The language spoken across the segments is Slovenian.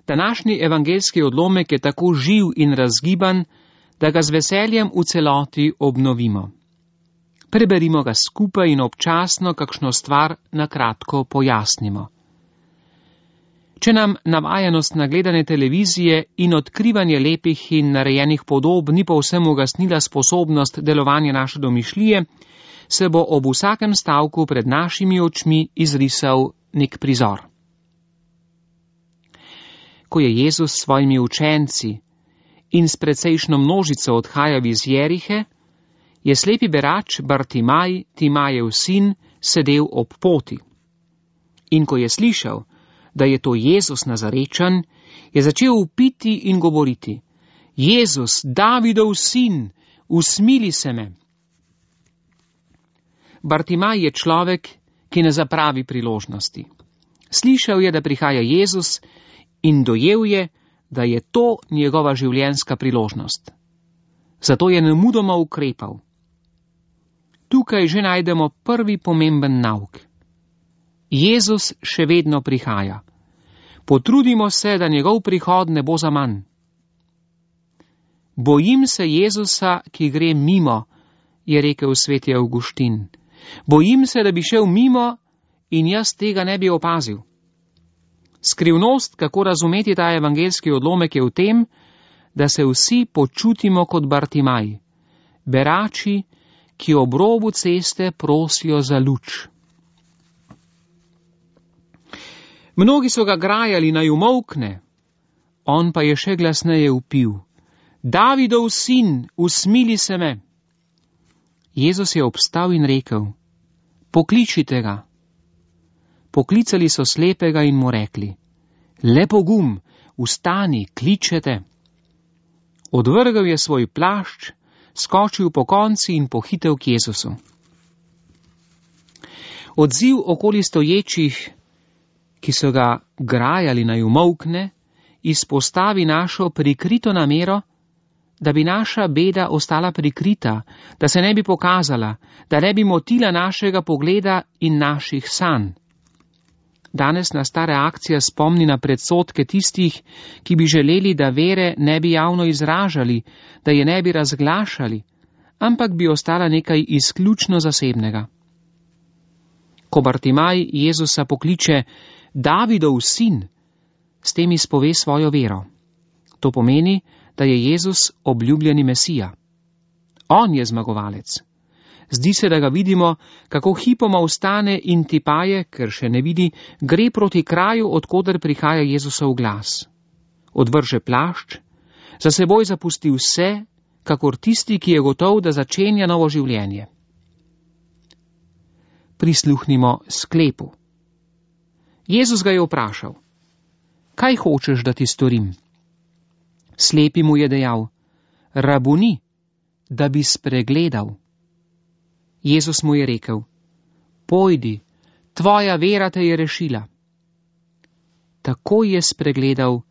Današnji evangeljski odlomek je tako živ in razgiban, da ga z veseljem v celoti obnovimo. Preberimo ga skupaj in občasno kakšno stvar na kratko pojasnimo. Če nam navajenost na gledanje televizije in odkrivanje lepih in narejenih podob ni povsem ugasnila sposobnost delovanja naše domišljije, se bo ob vsakem stavku pred našimi očmi izrisal nek prizor. Ko je Jezus s svojimi učenci in s precejšno množico odhajal iz Jerihe, je slepi berač Bartimaj, Timajev sin, sedel ob poti. In ko je slišal, da je to Jezus Nazarečan, je začel vpiti in govoriti: Jezus, Davidov sin, usmili se me. Bartimaj je človek, ki ne zapravi priložnosti. Slišal je, da prihaja Jezus, in dojel je, da je to njegova življenjska priložnost. Zato je nemudoma ukrepal. Tukaj že najdemo prvi pomemben nauk. Jezus še vedno prihaja. Potrudimo se, da njegov prihod ne bo zaman. Bojim se Jezusa, ki gre mimo, je rekel sveti Avguštin. Bojim se, da bi šel mimo in jaz tega ne bi opazil. Skrivnost, kako razumeti ta evangeljski odlomek, je v tem, da se vsi počutimo kot Bartimaj, berači, ki ob robu ceste prosijo za luč. Mnogi so ga grajali, naj umolkne, on pa je še glasneje vpil: Davidov sin, usmili se me. Jezus je obstal in rekel: Pokličite ga. Poklicali so slepega in mu rekli: Le pogum, vstani, kličete. Odvrgal je svoj plašč, skočil po konci in pohitel k Jezusu. Odziv okoli stoječih, ki so ga grajali naj umolkne, izpostavi našo prikrito namero, da bi naša beda ostala prikrita, da se ne bi pokazala, da ne bi motila našega pogleda in naših sanj. Danes nas ta reakcija spomni na predsodke tistih, ki bi želeli, da vere ne bi javno izražali, da je ne bi razglašali, ampak bi ostala nekaj izključno zasebnega. Ko Bartimaj Jezusa pokliče Davidov sin, s tem izpove svojo vero. To pomeni, da je Jezus obljubljeni Mesija. On je zmagovalec. Zdi se, da ga vidimo, kako hipoma vstane in tipaje, ker še ne vidi, gre proti kraju, odkoder prihaja Jezusov glas. Odvrže plašč, za seboj zapusti vse, kakor tisti, ki je gotov, da začenja novo življenje. Prisluhnimo sklepu. Jezus ga je vprašal: Kaj hočeš, da ti storim? Slepi mu je dejal: Rabuni, da bi spregledal. Jezus mu je rekel: Pojdi, tvoja vera te je rešila. Takoj je spregledal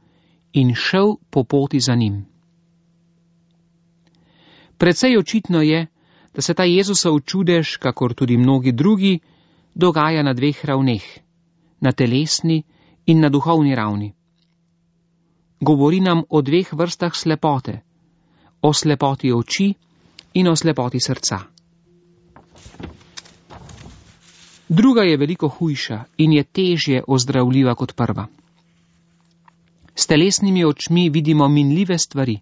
in šel po poti za njim. Precej očitno je, da se ta Jezusov čudež, kakor tudi mnogi drugi, dogaja na dveh ravneh, na telesni in na duhovni ravni. Govori nam o dveh vrstah slepote, o slepoti oči in o slepoti srca. Druga je veliko hujša in je težje ozdravljiva kot prva. S telesnimi očmi vidimo minljive stvari,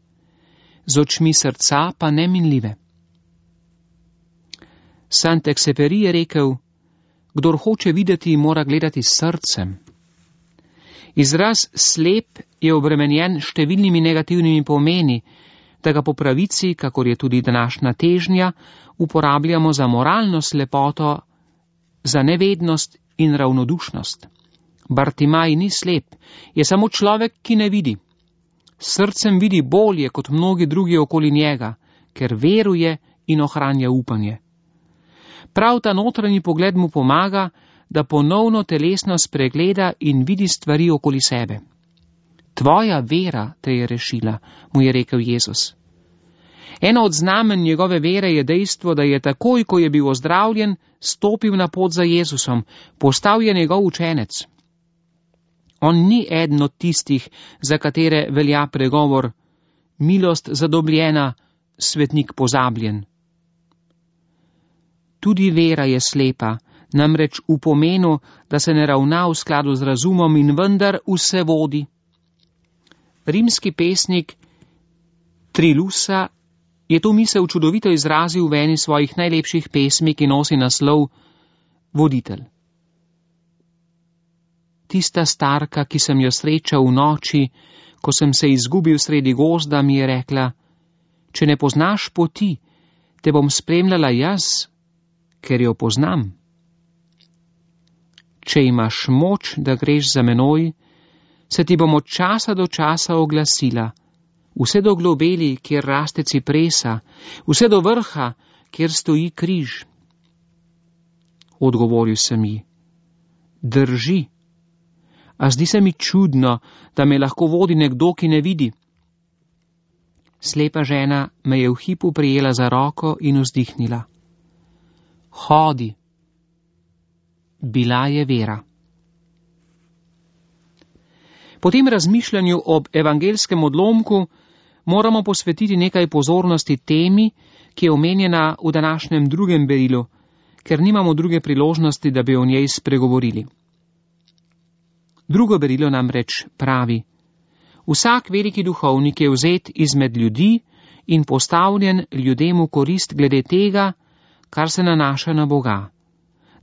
z očmi srca pa neminljive. Saint-Exupéry je rekel: Kdor hoče videti, mora gledati s srcem. Izraz slep je obremenjen številnimi negativnimi pomeni, da ga po pravici, kakor je tudi današnja težnja, uporabljamo za moralno slepoto, za nevednost in ravnodušnost. Bartimaj ni slep, je samo človek, ki ne vidi. S srcem vidi bolje kot mnogi drugi okoli njega, ker veruje in ohranja upanje. Prav ta notranji pogled mu pomaga, da ponovno telesno spregleda in vidi stvari okoli sebe. Tvoja vera te je rešila, mu je rekel Jezus. Eno od znamen njegove vere je dejstvo, da je takoj, ko je bil ozdravljen, stopil na pot za Jezusom, postal je njegov učenec. On ni eden od tistih, za katere velja pregovor: milost zadobljena, svetnik pozabljen. Tudi vera je slepa, namreč v pomenu, da se ne ravna v skladu z razumom in vendar vse vodi. Rimski pesnik Trilusa je to misel čudovito izrazil v eni svojih najlepših pesmi, ki nosi naslov Voditelj. Tista starka, ki sem jo srečal v noči, ko sem se izgubil sredi gozda, mi je rekla: če ne poznaš poti, te bom spremljala jaz, ker jo poznam. Če imaš moč, da greš za menoj, se ti bom od časa do časa oglasila, vse do globeli, kjer raste cipresa, vse do vrha, kjer stoji križ. Odgovoril sem ji: drži. A zdi se mi čudno, da me lahko vodi nekdo, ki ne vidi. Slepa žena me je v hipu prijela za roko in vzdihnila: hodi. Bila je vera. Po tem razmišljanju ob evangelskem odlomku moramo posvetiti nekaj pozornosti temi, ki je omenjena v današnjem drugem berilu, ker nimamo druge priložnosti, da bi o njej spregovorili. Drugo berilo namreč pravi: vsak veliki duhovnik je vzet izmed ljudi in postavljen ljudem v korist glede tega, kar se nanaša na Boga,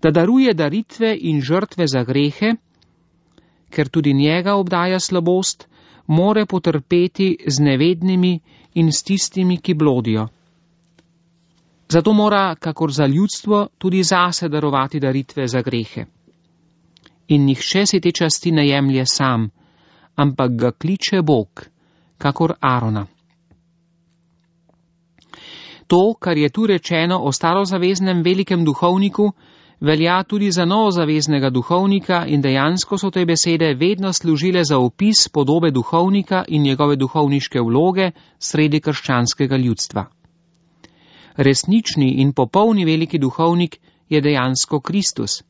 da daruje daritve in žrtve za grehe, ker tudi njega obdaja slabost, more potrpeti z nevednimi in s tistimi, ki blodijo. Zato mora, kakor za ljudstvo, tudi zase darovati daritve za grehe. In nihče si te časti ne jemlje sam, ampak ga kliče Bog, kakor Arona. To, kar je tu rečeno o starozaveznem velikem duhovniku, velja tudi za novozaveznega duhovnika in dejansko so te besede vedno služile za opis podobe duhovnika in njegove duhovniške vloge sredi krščanskega ljudstva. Resnični in popolni veliki duhovnik je dejansko Kristus,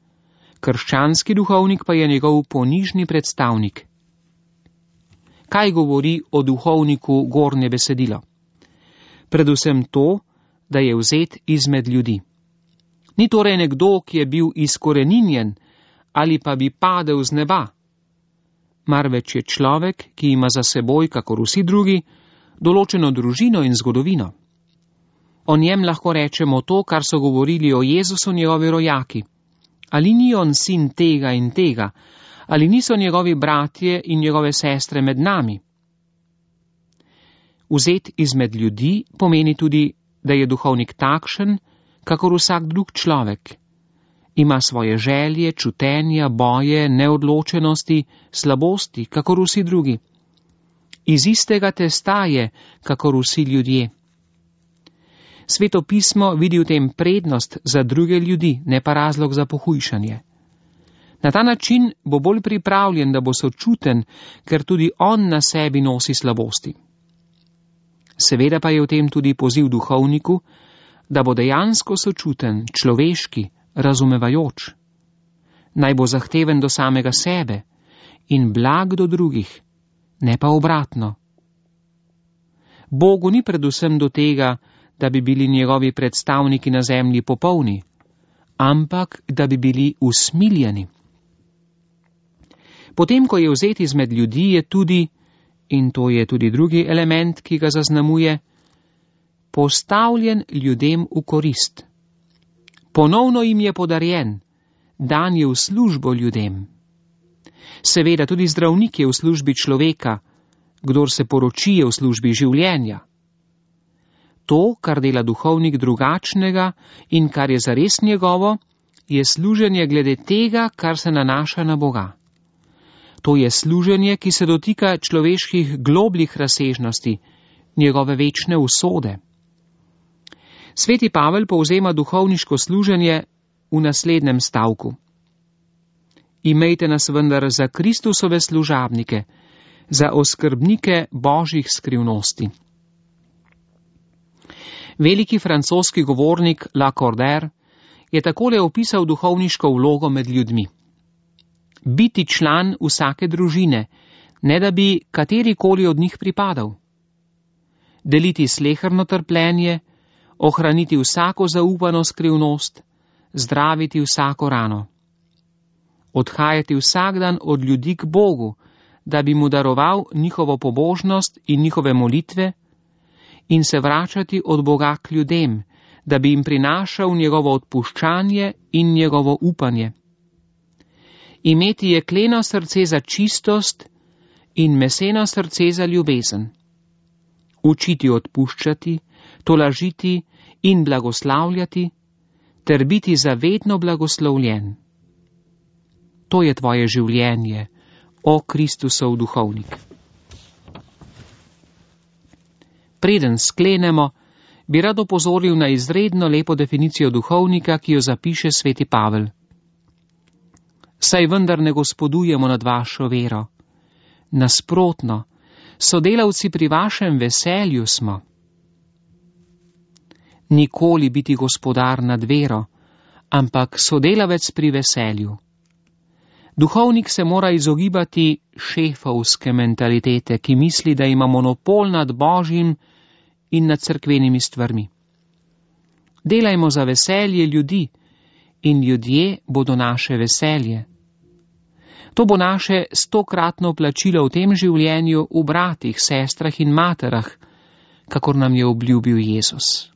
krščanski duhovnik pa je njegov ponižni predstavnik. Kaj govori o duhovniku gornje besedilo? Predvsem to, da je vzet izmed ljudi. Ni torej nekdo, ki je bil izkoreninjen ali pa bi padel z neba, marveč je človek, ki ima za seboj, kakor vsi drugi, določeno družino in zgodovino. O njem lahko rečemo to, kar so govorili o Jezusu njegovi rojaki. Ali ni on sin tega in tega, ali niso njegovi bratje in njegove sestre med nami? Vzet izmed ljudi pomeni tudi, da je duhovnik takšen, kakor vsak drug človek. Ima svoje želje, čutenja, boje, neodločenosti, slabosti, kakor vsi drugi. Iz istega testa je, kakor vsi ljudje. Sveto pismo vidi v tem prednost za druge ljudi, ne pa razlog za pohujšanje. Na ta način bo bolj pripravljen, da bo sočuten, ker tudi on na sebi nosi slabosti. Seveda pa je v tem tudi poziv duhovniku, da bo dejansko sočuten, človeški, razumevajoč. Naj bo zahteven do samega sebe in blag do drugih, ne pa obratno. Bogu ni predvsem do tega, da bi bili njegovi predstavniki na zemlji popolni, ampak da bi bili usmiljeni. Potem, ko je vzet izmed ljudi, je tudi, in to je tudi drugi element, ki ga zaznamuje, postavljen ljudem v korist. Ponovno jim je podarjen, dan je v službo ljudem. Seveda tudi zdravnik je v službi človeka, kdor se poroči je v službi življenja. To, kar dela duhovnik drugačnega in kar je zares njegovo, je služenje glede tega, kar se nanaša na Boga. To je služenje, ki se dotika človeških globljih razsežnosti, njegove večne usode. Sveti Pavel povzema duhovniško služenje v naslednjem stavku. Imejte nas vendar za Kristusove služabnike, za oskrbnike božjih skrivnosti. Veliki francoski govornik Lacordaire je takole opisal duhovniško vlogo med ljudmi. biti član vsake družine, ne da bi katerikoli od njih pripadal. Deliti sleherno trpljenje, ohraniti vsako zaupano skrivnost, zdraviti vsako rano. Odhajati vsak dan od ljudi k Bogu, da bi mu daroval njihovo pobožnost in njihove molitve, in se vračati od Boga k ljudem, da bi jim prinašal njegovo odpuščanje in njegovo upanje. Imeti jekleno srce za čistost in meseno srce za ljubezen. Učiti odpuščati, tolažiti in blagoslavljati, ter biti zavedno blagoslovljen. To je tvoje življenje, o Kristusov duhovnik. Preden sklenemo, bi rad opozoril na izredno lepo definicijo duhovnika, ki jo zapiše sveti Pavel. Saj vendar ne gospodujemo nad vašo vero. Nasprotno, sodelavci pri vašem veselju smo. Nikoli biti gospodar nad vero, ampak sodelavec pri veselju. Duhovnik se mora izogibati šefovske mentalitete, ki misli, da ima monopol nad Božjim in nad cerkvenimi stvarmi. Delajmo za veselje ljudi in ljudje bodo naše veselje. To bo naše 100-kratno plačilo v tem življenju v bratih, sestrah in materah, kakor nam je obljubil Jezus.